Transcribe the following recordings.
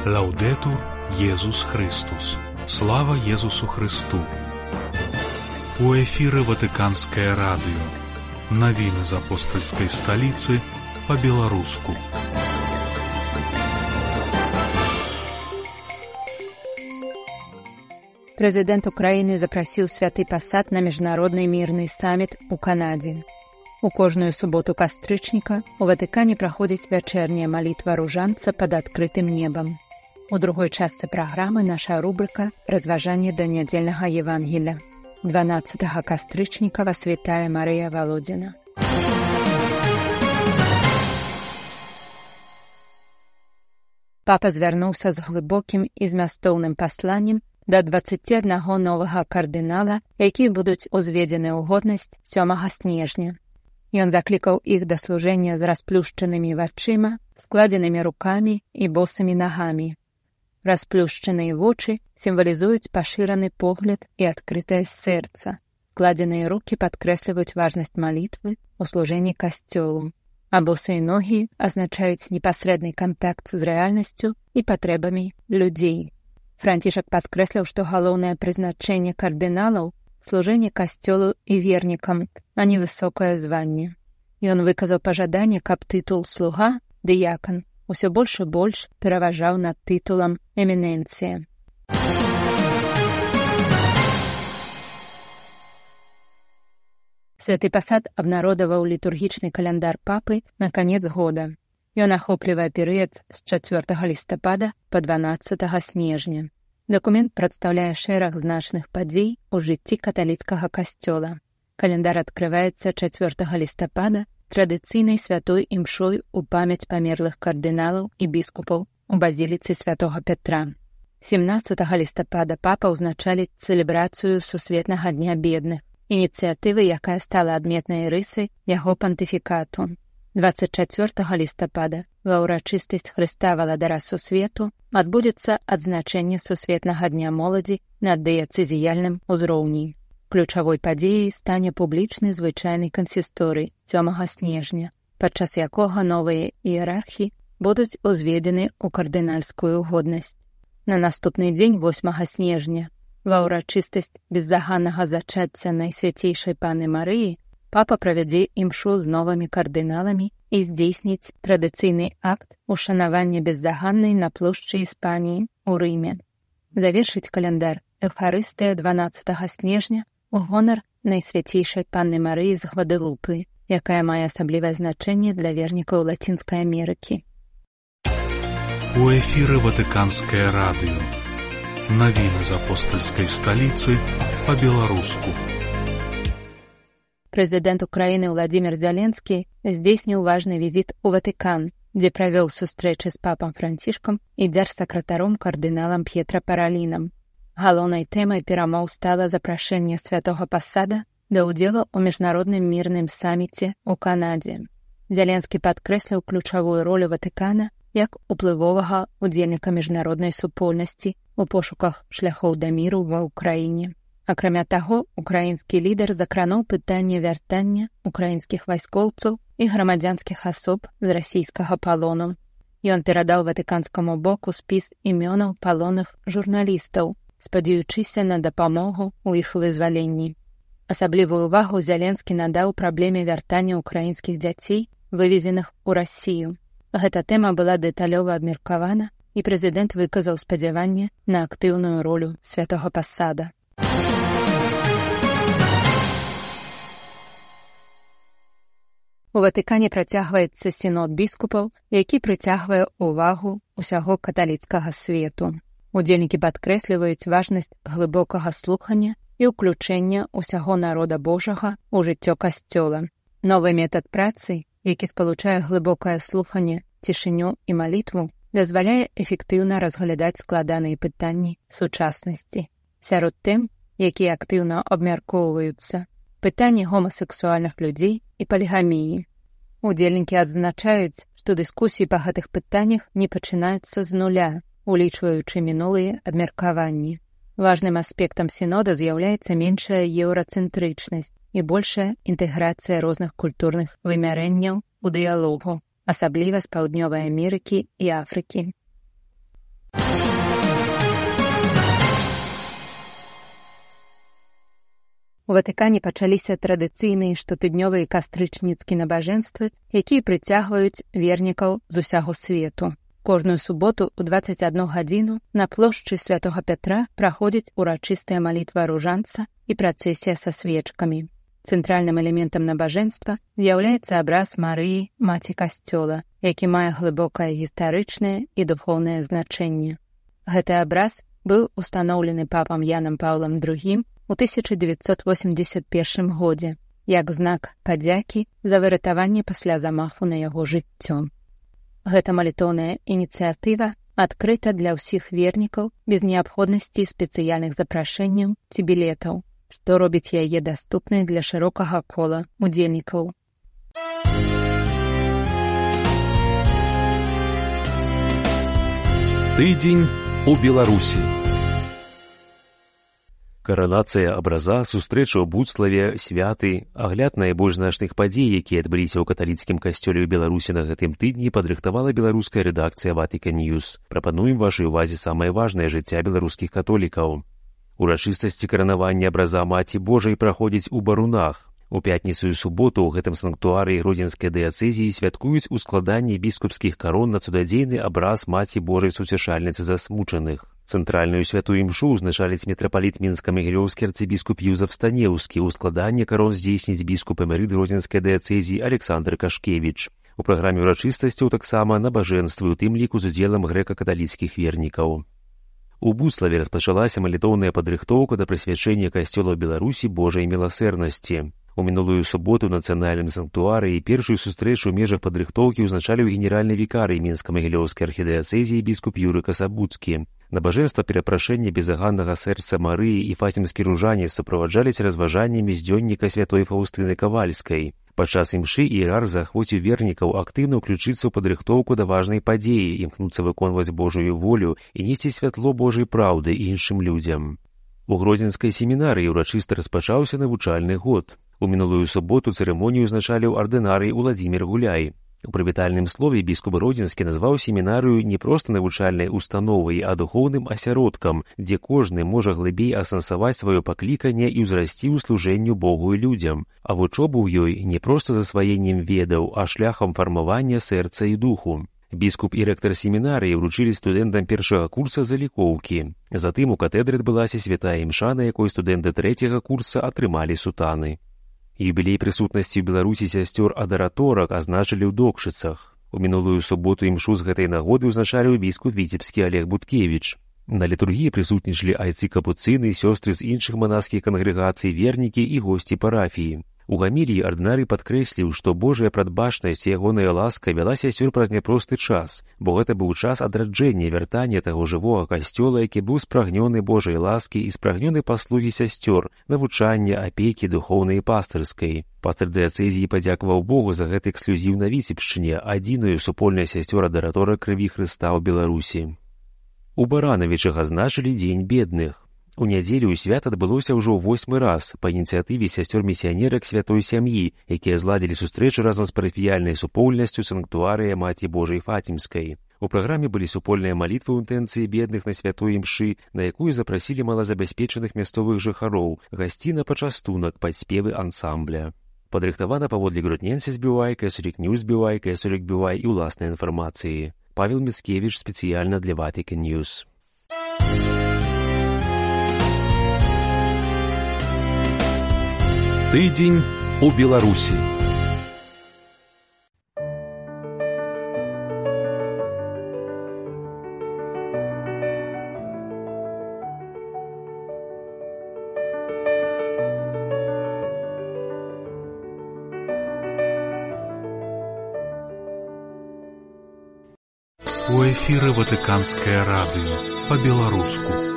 Лаўдетур Єсус Христос. Слава Єсусу Христу. У эфіры Ватыканскае радыё. Навіны з апостальскай сталіцы па-беларуску. Прэзідэнт Украіны запрасіў Святы Пасад на міжнародны мірны саміт у Канадзе. У кожную суботу кастрычніка у Ватыкане праходзіць вячэрняя малітва ружанца пад адкрытым небам. У другой частцы праграмы наша рубрыка «Разважанне да нядзельнага Евангелля». 12 кастрычніка вас вітае Марыя Валодзіна. Папа звярнуўся з глыбокім і змястоўным пасланнем да 21 новага кардынала, якія будуць узведзены ў годнасць 7 снежня. Ён заклікаў іх да служэння з расплюшчанымі вачыма, складзенымі рукамі і босымі нагамі. Расплюшчаныя вочы сімвалізуюць пашыраны погляд і адкрытае сэрца. Складзеныя рукі падкрэсліваюць важнасць малітвы ў служэнні касцёлу, а босыя ногі азначаюць непасрэдны кантакт з рэальнасцю і патрэбамі людзей. Францішак падкрэсліў, што галоўнае прызначэнне кардыналаў – служэнне касцёлу і вернікам, а не высокае званне. Ён выказаў пажаданне, каб тытул «слуга» – «дыякан» усё больш і больш пераважаў над тытулам «эміненцыя». Святы Пасад абнародаваў літургічны каляндар папы на канец года. Ён ахоплівае перыяд з 4 лістапада па 12 снежня. Дакумент прадстаўляе шэраг значных падзей у жыцці каталіцкага касцёла. Каляндар адкрываецца 4 лістапада традыцыйнай святой імшой у памяць памерлых кардыналаў і біскупаў у базіліцы святога Пятра. 17 лістапада папа ўзначаліць цэлебрацыю Сусветнага дня бедных, ініцыятывы, якая стала адметнай рысай яго пантыфікату. 24 лістапада ва ўрачыстасць Хрыста Валадара Сусвету адбудзецца адзначэнне Сусветнага дня моладзі на дыяцэзіяльным узроўні. Ключавой падзеяй стане публічны звычайны кансісторый 7 снежня, падчас якога новыя іерархі будуць узведзены ў кардынальскую годнасць. На наступны дзень 8 снежня ва ўрачыстасць беззаганнага зачацця Найсвяцейшай Паны Марыі папа правядзе імшу з новымі кардыналамі і здзейсніць традыцыйны акт ушанавання беззаганнай на плошчы Іспаніі ў Рыме. Завершыць каляндар Эўхарыстыя 12 снежня у гонар Найсвяцейшай Панны Марыі з Гвадэлупы, якая мае асаблівае значэнне для вернікаў Лацінскай Амерыкі. У эфіры Ватыканскае радыё. Навіны з апостальскай сталіцы па-беларуску. Прэзідэнт Украіны Владзімір Зеленскі здзейсніў важны візіт у Ватыкан, дзе правёў сустрэчы з папам Францішкам і дзяржсакратаром кардыналам П'етра Паралінам. Галоўнай тэмай перамоў стала запрашэнне Святога Пасада да ўдзелу ў міжнародным мірным саміце ў Канадзе. Зеленскі падкрэсліў ключавую ролю Ватыкана як уплывовага ўдзельніка міжнароднай супольнасці у пошуках шляхоў да міру ва ўкраіне. Акрамя таго, украінскі лідар закрануў пытанне вяртання украінскіх вайскоўцаў і грамадзянскіх асоб з расійскага палону. Ён перадаў ватыканскаму боку спіс імёнаў палонных журналістаў, спадзяючыся на дапамогу ў іх вызваленні. Асаблівую ўвагу Зеленскі надаў праблеме вяртання ўкраінскіх дзяцей, вывезеных у Расію. Гэта тэма была дэталёва абмеркавана, і прэзідэнт выказаў спадзяванне на актыўную ролю Святога Пасада. У Ватыкане працягваецца сінод біскупаў, які прыцягвае ўвагу ўсяго каталіцкага свету. Удзельнікі падкрэсліваюць важнасць глыбокага слухання і ўключэння ўсяго народа Божага ў жыццё касцёла. Новы метад працы, які спалучае глыбокае слуханне, цішыню і малітву, дазваляе эфектыўна разглядаць складаныя пытанні сучаснасці. Сярод тэм, якія актыўна абмяркоўваюцца, пытанні гомасексуальных людзей і палігаміі. Удзельнікі адзначаюць, што дыскусіі па гэтых пытаннях не пачынаюцца з нуля, улічваючы минулыя абмеркаванні. Важным аспектам сінода з'яўляецца меншая еўрацэнтрычнасць і большая інтэграцыя розных культурных вымярэнняў у дыялогу, асабліва з Паўднёвай Амерыкі і Афрыкі. У Ватыкане пачаліся традыцыйныя штотыднёвыя кастрычніцкія набажэнствы, якія прыцягваюць вернікаў з усяго свету. Кожную суботу ў 21 гадзіну на плошчы Святога Пятра праходзіць урачыстая малітва ружанца і працэсія са свечкамі. Цэнтральным элементам набажэнства з'яўляецца абраз Марыі, маці касцёла, які мае глыбокае гістарычнае і духоўнае значэнне. Гэты абраз быў устаноўлены папам Янам Паўлам II у 1981 годзе, як знак падзякі за выратаванне пасля замаху на яго жыццё. Гэта малітоўная ініцыятыва адкрыта для ўсіх вернікаў без неабходнасці спецыяльных запрашэнняў ці білетаў, што робіць яе даступнай для шырокага кола удзельнікаў. Тыдзень у Беларусі. Каранацыя абраза, сустрэча ў Буцлаве, святы, агляд найбольш значных падзей, якія адбыліся ў каталіцкім касцёле ў Беларусі на гэтым тыдні, падрыхтавала беларуская рэдакцыя Vatican News. Прапануем вашай увазе самае важнае жыцця беларускіх католікаў. Урачыстасці каранавання абраза Маці Божай праходзяць у Барунах. У пятніцу і суботу ў гэтым санктуарыі Гродзенскай дыяцэзіі святкуюць ускладанне біскупскіх карон на цудадзейны абраз Маці Божай Суцешальніцы засмучаных. Цэнтральную святую імшу ўзначаліць мітрапаліт мінска-магілёўскі арцыбіскуп Юзаф Станеўскі, у складанне карон здзейсніць біскуп эмерыт Гродзенскай дыяцэзіі Александр Кашкевіч. У праграме ўрачыстасцяў таксама набажэнствы, у тым ліку з удзелам грэка-каталіцкіх вернікаў. У Буцлаве распачалася малітоўная падрыхтоўка да прысвячэння касцёла Беларусі Божай міласэрнасці. У мінулую суботу ў нацыянальным санктуарыі першую сустрэчу ў межах падрыхтоўкі ўзначаліў генеральны вікарый мінска-магілёўскай архідыяцэзіі біскуп Юры Касабуцкі. Набажэнства перапрашэння безаганнага сэрца Марыі і фацімскі ружанец суправаджаліся разважаннямі з дзённіка святой Фаўстыны Кавальскай. Падчас імшы іерарх заахвоціў вернікаў актыўна ўключыцца ў падрыхтоўку да важнай падзеі, імкнуцца выконваць Божую волю і несці святло Божай праўды іншым людзям. У Гродзенскай семінарыі ўрачыста распачаўся навучальны год. У мінулую суботу цырымонію ўзначаліў ардынарый Уладзімір Гуляй. У прывітальным слове біскуп Гродзенскі назваў семінарыю не проста навучальнай установай, а духоўным асяродкам, дзе кожны можа глыбей асэнсаваць сваё пакліканне і ўзрасці ў служэнню Богу і людзям, а вучоба ў ёй не проста засваеннем ведаў, а шляхам фармавання сэрца і духу. Біскуп і рэктар семінарыі ўручылі студэнтам першага курса залікоўкі. Затым у катедры адбылася святая імша, на якой студэнты трэцяга курса атрымалі сутаны. Юбілей прысутнасці ў Беларусі сясцёр адараторак азначылі ў Докшыцах. У мінулую суботу імшу з гэтай нагоды ўзначаліў біскуп віцебскі Олег Буткевіч. На літургіі прысутнічалі айцы-капуцыны, сёстры з іншых манаскіх кангрэгацый, вернікі і госці парафіі. У гаміліі ардынарый падкрэсліў, што Божая прадбачнасць і ягоная ласка вяла сясцёр праз няпросты час, бо гэта быў час адраджэння, вяртання таго жывога касцёла, які быў спрагнёны Божай ласкі і спрагнёны паслугі сясцёр, навучання, апекі духоўнай і пастырскай. Пастыр дыяцэзіі падзякаваў Богу за гэты эксклюзіў на Віцебшчыне, адзіную супольная сясцёр адаратора крыві Хрыста ў Беларусі. У Баранавічах азначылі дзень бедных. У нядзелю свят адбылося ўжо 8-й раз па ініцыятыве сясцёр-місіянерак святой сям'і, якія зладзілі сустрэчу разам з парафіяльнай супольнасцю санктуарыя Маці Божай Фацімскай. У праграме былі супольныя малітвы ў інтэнцыі бедных на святой імшы, на якую запрасілі малазабяспечаных мясцовых жыхароў, гасці на пачастунак пад спевы ансамбля. Падрыхтавана паводле Гродненся збівай, Кэсурік Ньюс збівай, Кэсурік бівай і ўласнай інфармацыі. Павел Міцкевіч спецыяльна для Vatican News. Тыдзень у Беларусі. У эфіры Ватыканскае радыё па-беларуску.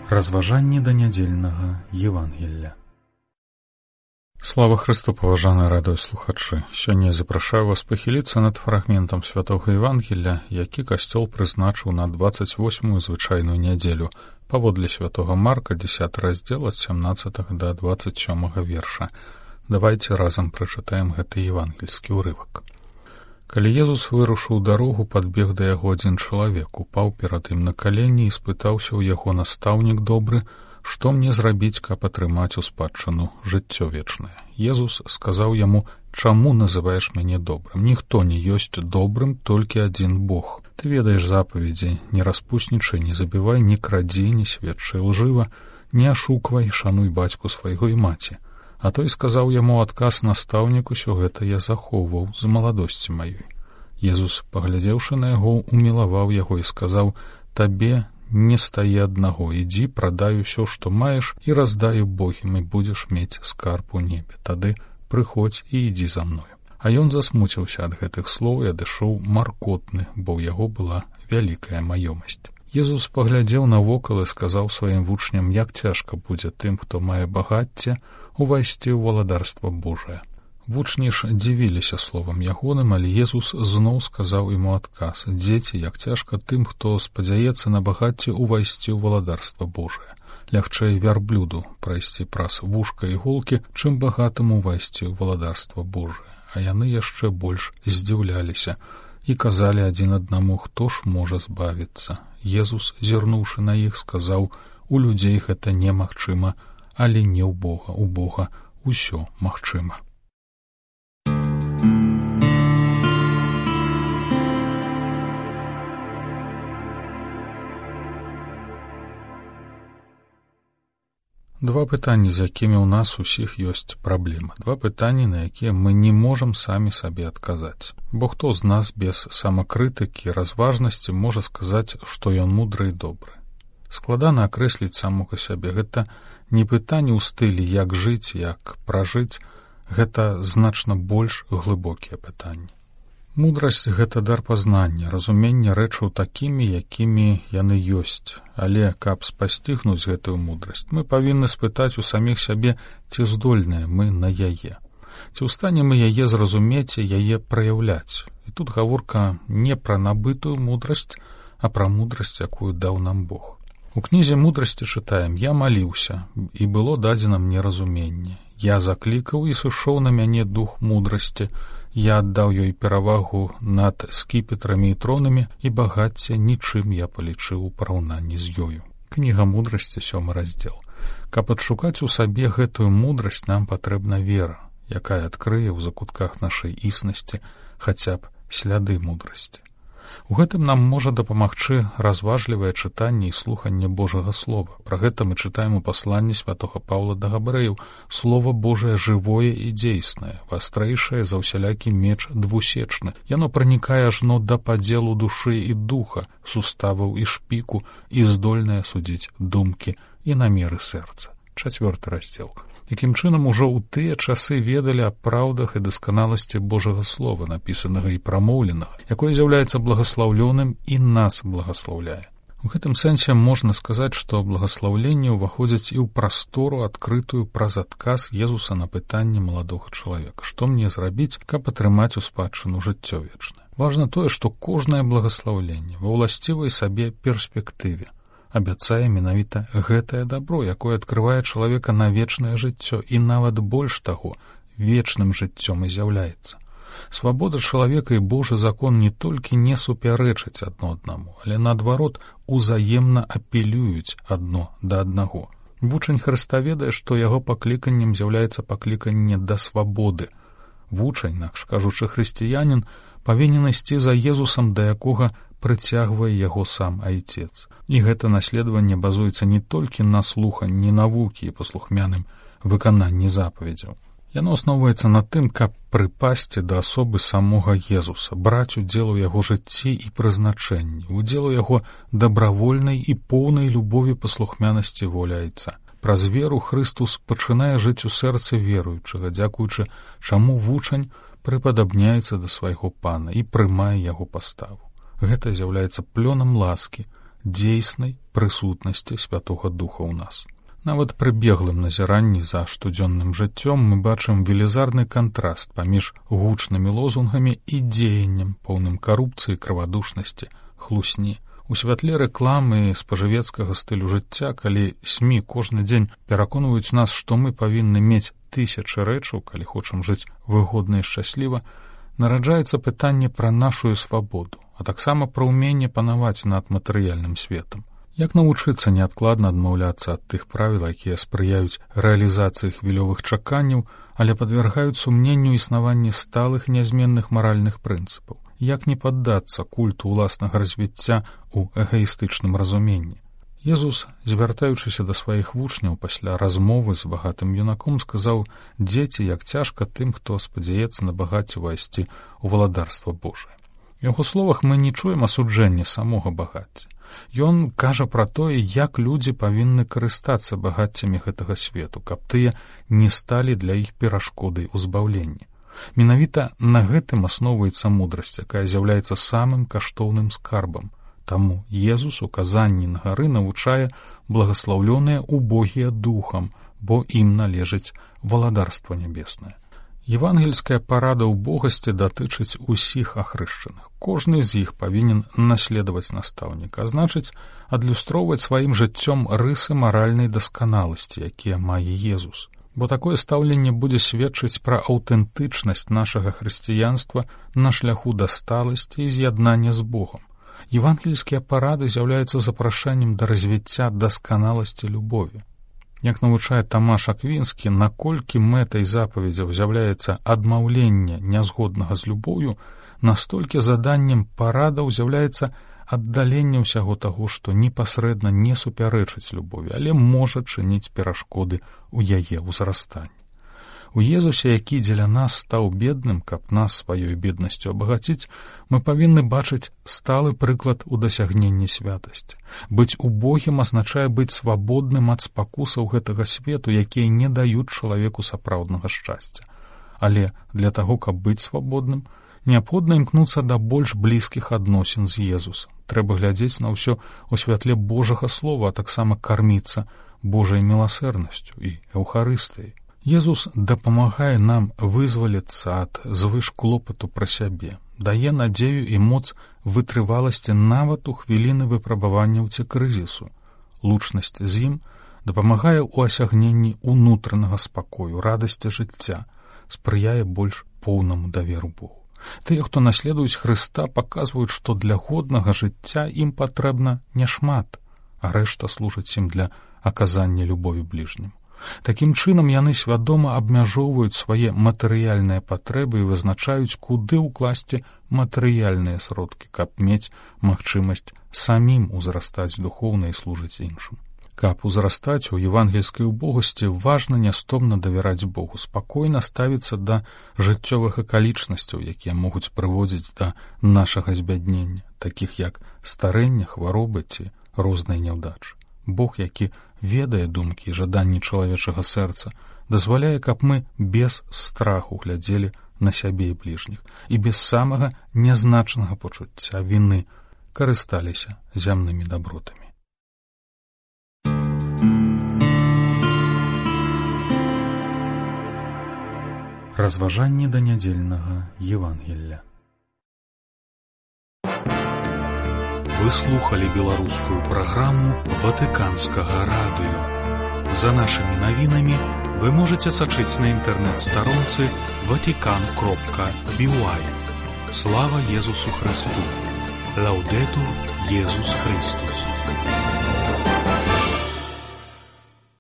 Разважанне да нядзельнага Евангелля. Слава Христу, паважаныя радыёслухачы! Сёння я запрашаю вас пахіліцца над фрагментам святога Евангелля, які касцёл прызначыў на 28-ю звычайную нядзелю, паводле святога Марка, 10 раздзел ад 17 да 27 верша. Давайте разам прачытаем гэты евангельскі ўрывак. Калі Езус вырушыў дарогу, падбег да яго адзін чалавек, упаў перад ім на калені і спытаўся ў яго: «Настаўнік добры, што мне зрабіць, каб атрымаць у спадчыну жыццё вечнае?» Езус сказаў яму: «Чаму называеш мяне добрым? Ніхто не ёсць добрым, толькі адзін Бог. Ты ведаеш запаведзі: не распуснічай, не забівай, не крадзі, не сведчай лжыва, не ашуквай, шануй бацьку свайго і маці». А той сказаў яму адказ: «Настаўнік, усё гэта я захоўваў з маладосці маёй». Езус, паглядзеўшы на яго, умілаваў яго і сказаў: «Табе не стае аднаго, ідзі, прадай усё, што маеш, і раздай убогім, і будзеш мець скарб у небе. Тады прыходзь і ідзі за мною». А ён засмуціўся ад гэтых слоў і адышоў маркотны, бо ў яго была вялікая маёмасць. Езус паглядзеў навокал і сказаў сваім вучням: «Як цяжка будзе тым, хто мае багацце, увайсці ў валадарства Божае». Вучні ж дзівіліся словам ягоным, але Езус зноў сказаў ім у адказ: «Дзеці, як цяжка тым, хто спадзяецца на багацце, увайсці ў валадарства Божае. Лягчэй вярблюду прайсці праз вушка іголкі, чым багатаму увайсці ў валадарства Божае». А яны яшчэ больш здзіўляліся і казалі адзін аднаму: «Хто ж можа збавіцца?» Езус, зірнуўшы на іх, сказаў: «У людзей гэта немагчыма, але не ў Бога. У Бога ўсё магчыма». Два пытанні, з якімі ў нас усіх ёсць праблема. Два пытанні, на якія мы не можам самі сабе адказаць. Бо хто з нас без самакрытыкі, разважнасці можа сказаць, што ён мудры і добры? Складана акрэсліць самога сябе. Гэта не пытанне ў стылі «як жыць», «як пражыць». Гэта значна больш глыбокія пытанні. Мудрасць — гэта дар пазнання, разумення рэчаў такімі, якімі яны ёсць. Але каб спасцігнуць гэтую мудрасць, мы павінны спытаць у саміх сябе, ці здольныя мы на яе. Ці ў стане мы яе зразумець і яе праяўляць. І тут гаворка не пра набытую мудрасць, а пра мудрасць, якую даў нам Бог. У кнізе мудрасці чытаем: «Я маліўся, і было дадзена мне разуменне. Я заклікаў, і сышоў на мяне дух мудрасці. Я аддаў ёй перавагу над скіпетрамі і тронамі, і багацце нічым я палічыў у параўнанні з ёю». Кніга мудрасці, 7 раздзел. Каб адшукаць у сабе гэтую мудрасць, нам патрэбна вера, якая адкрые ў закутках нашай існасці хаця б сляды мудрасці. У гэтым нам можа дапамагчы разважлівае чытанне і слуханне Божага Слова. Пра гэта мы чытаем у пасланні святога Паўла да Габрэяў: «Слова Божае жывое і дзейснае, вастрэйшае за ўсялякі меч двусечны. Яно пранікае ажно да падзелу душы і духа, суставаў і шпіку, і здольнае судзіць думкі і намеры сэрца». 4 раздзел. Якім чынам ужо ў тыя часы ведалі аб праўдах і дасканаласці Божага Слова, напісанага і прамоўленага, якое з'яўляецца благаслаўлёным і нас благаслаўляе. У гэтым сэнсе можна сказаць, што благаслаўленне ўваходзіць і ў прастору, адкрытую праз адказ Езуса на пытанне маладога чалавека: «Што мне зрабіць, каб атрымаць у спадчыну жыццё вечнае?» Важна тое, што кожнае благаслаўленне ва ўласцівай сабе перспектыве абяцае менавіта гэтае дабро, якое адкрывае чалавека на вечнае жыццё, і нават больш таго, вечным жыццём і з'яўляецца. Свабода чалавека і Божы закон не толькі не супярэчаць адно аднаму, але наадварот узаемна апелююць адно да аднаго. Вучань Хрыста ведае, што яго пакліканнем з'яўляецца пакліканне да свабоды. Вучань, інакш кажучы, хрысціянін, павінен ісці за Езусам, да якога прыцягвае яго сам Айцец. І гэта наследаванне базуецца не толькі на слуханні навукі і паслухмяным выкананні запаведзяў. Яно асноўваецца на тым, каб прыпасці да асобы самога Езуса, браць удзел у яго жыцці і прызначэнні, удзел у яго дабравольнай і поўнай любові паслухмянасці волі Айца. Праз веру Хрыстус пачынае жыць у сэрцы веруючага, дзякуючы чаму вучань прыпадабняецца да свайго Пана і прымае яго паставу. Гэта з'яўляецца плёнам ласкі, дзейснай прысутнасці Святога Духа ў нас. Нават пры беглым назіранні за штодзённым жыццём мы бачым велізарны кантраст паміж гучнымі лозунгамі і дзеяннем, поўным карупцыі, крывадушнасці, хлусні, У святле рэкламы і спажывецкага стылю жыцця, калі СМІ кожны дзень пераконваюць нас, што мы павінны мець тысячы рэчаў, калі хочам жыць выгодна і шчасліва, нараджаецца пытанне пра нашу свабоду, а таксама пра ўменне панаваць над матэрыяльным светам. Як навучыцца неадкладна адмаўляцца ад тых правіл, якія спрыяюць рэалізацыі хвілёвых чаканняў, але падвяргаюць сумненню існаванне сталых нязменных маральных прынцыпаў? Як не паддацца культу ўласнага развіцця ў эгаістычным разуменні? Езус, звяртаючыся да сваіх вучняў пасля размовы з багатым юнаком, сказаў: «Дзеці, як цяжка тым, хто спадзяецца на багацце увайсці ў валадарства Божае». У яго словах мы не чуем асуджэння самога багацця. Ён кажа пра тое, як людзі павінны карыстацца багаццямі гэтага свету, каб тыя не сталі для іх перашкодай у збаўленні. Менавіта на гэтым асноўваецца мудрасць, якая з'яўляецца самым каштоўным скарбам. Таму Езус у казанні на гары навучае благаслаўлёныя убогія духам, бо ім належыць валадарства нябеснае. Евангельская парада ўбогасці датычыць усіх ахрышчаных. Кожны з іх павінен наследаваць настаўніка, а значыць, адлюстроўваць сваім жыццём рысы маральнай дасканаласці, якія мае Езус. Бо такое стаўленне будзе сведчыць пра аўтэнтычнасць нашага хрысціянства на шляху да сталасці і з'яднання з Богам. Евангельскія парады з'яўляюцца запрашэннем да развіцця дасканаласці любові. Як навучае Тамаш Аквінскі, наколькі мэтай запаведзяў з'яўляецца адмаўленне нязгоднага з любоўю, настолькі заданнем парадаў з'яўляецца аддаленне ўсяго таго, што непасрэдна не супярэчыць любові, але можа чыніць перашкоды ў яе ўзрастанні. У Езусе, які дзеля нас стаў бедным, каб нас сваёй беднасцю абагаціць, мы павінны бачыць сталы прыклад у дасягненні святасці. Быць убогім азначае быць свабодным ад спакусаў гэтага свету, якія не даюць чалавеку сапраўднага шчасця. Але для таго, каб быць свабодным, неабходна імкнуцца да больш блізкіх адносін з Езусам. Трэба глядзець на ўсё ў святле Божага слова, а таксама карміцца Божай міласэрнасцю і эўхарыстыяй. Езус дапамагае нам вызваліцца ад звыш клопату пра сябе, дае надзею і моц вытрываласці нават у хвіліны выпрабаванняў ці крызісу. Лучнасць з ім дапамагае ў асягненні ўнутранага спакою, радасці жыцця, спрыяе больш поўнаму даверу Богу. Тыя, хто наследуюць Хрыста, паказваюць, што для годнага жыцця ім патрэбна няшмат, а рэшта служыць ім для аказання любові бліжнім. Такім чынам яны свядома абмяжоўваюць свае матэрыяльныя патрэбы і вызначаюць, куды ўкласці матэрыяльныя сродкі, каб мець магчымасць самім узрастаць духоўна і служыць іншым. Каб узрастаць у евангельскай убогасці, важна нястомна давяраць Богу, спакойна ставіцца да жыццёвых акалічнасцяў, якія могуць прыводзіць да нашага збяднення, такіх як старэнне, хваробы ці розныя няўдачы. Бог, які ведае думкі і жаданні чалавечага сэрца, дазваляе, каб мы без страху глядзелі на сябе і бліжніх і без самага нязначнага пачуцця віны карысталіся зямнымі дабротамі. Разважанні да нядзельнага Евангелля. Вы слухали беларускую праграму Ватыканскага радыё. За нашымі навінамі вы можаце сачыць на інтэрнэт-старонцы vatican.by. Слава Езусу Христу! Лаўдэтур Езус Христус!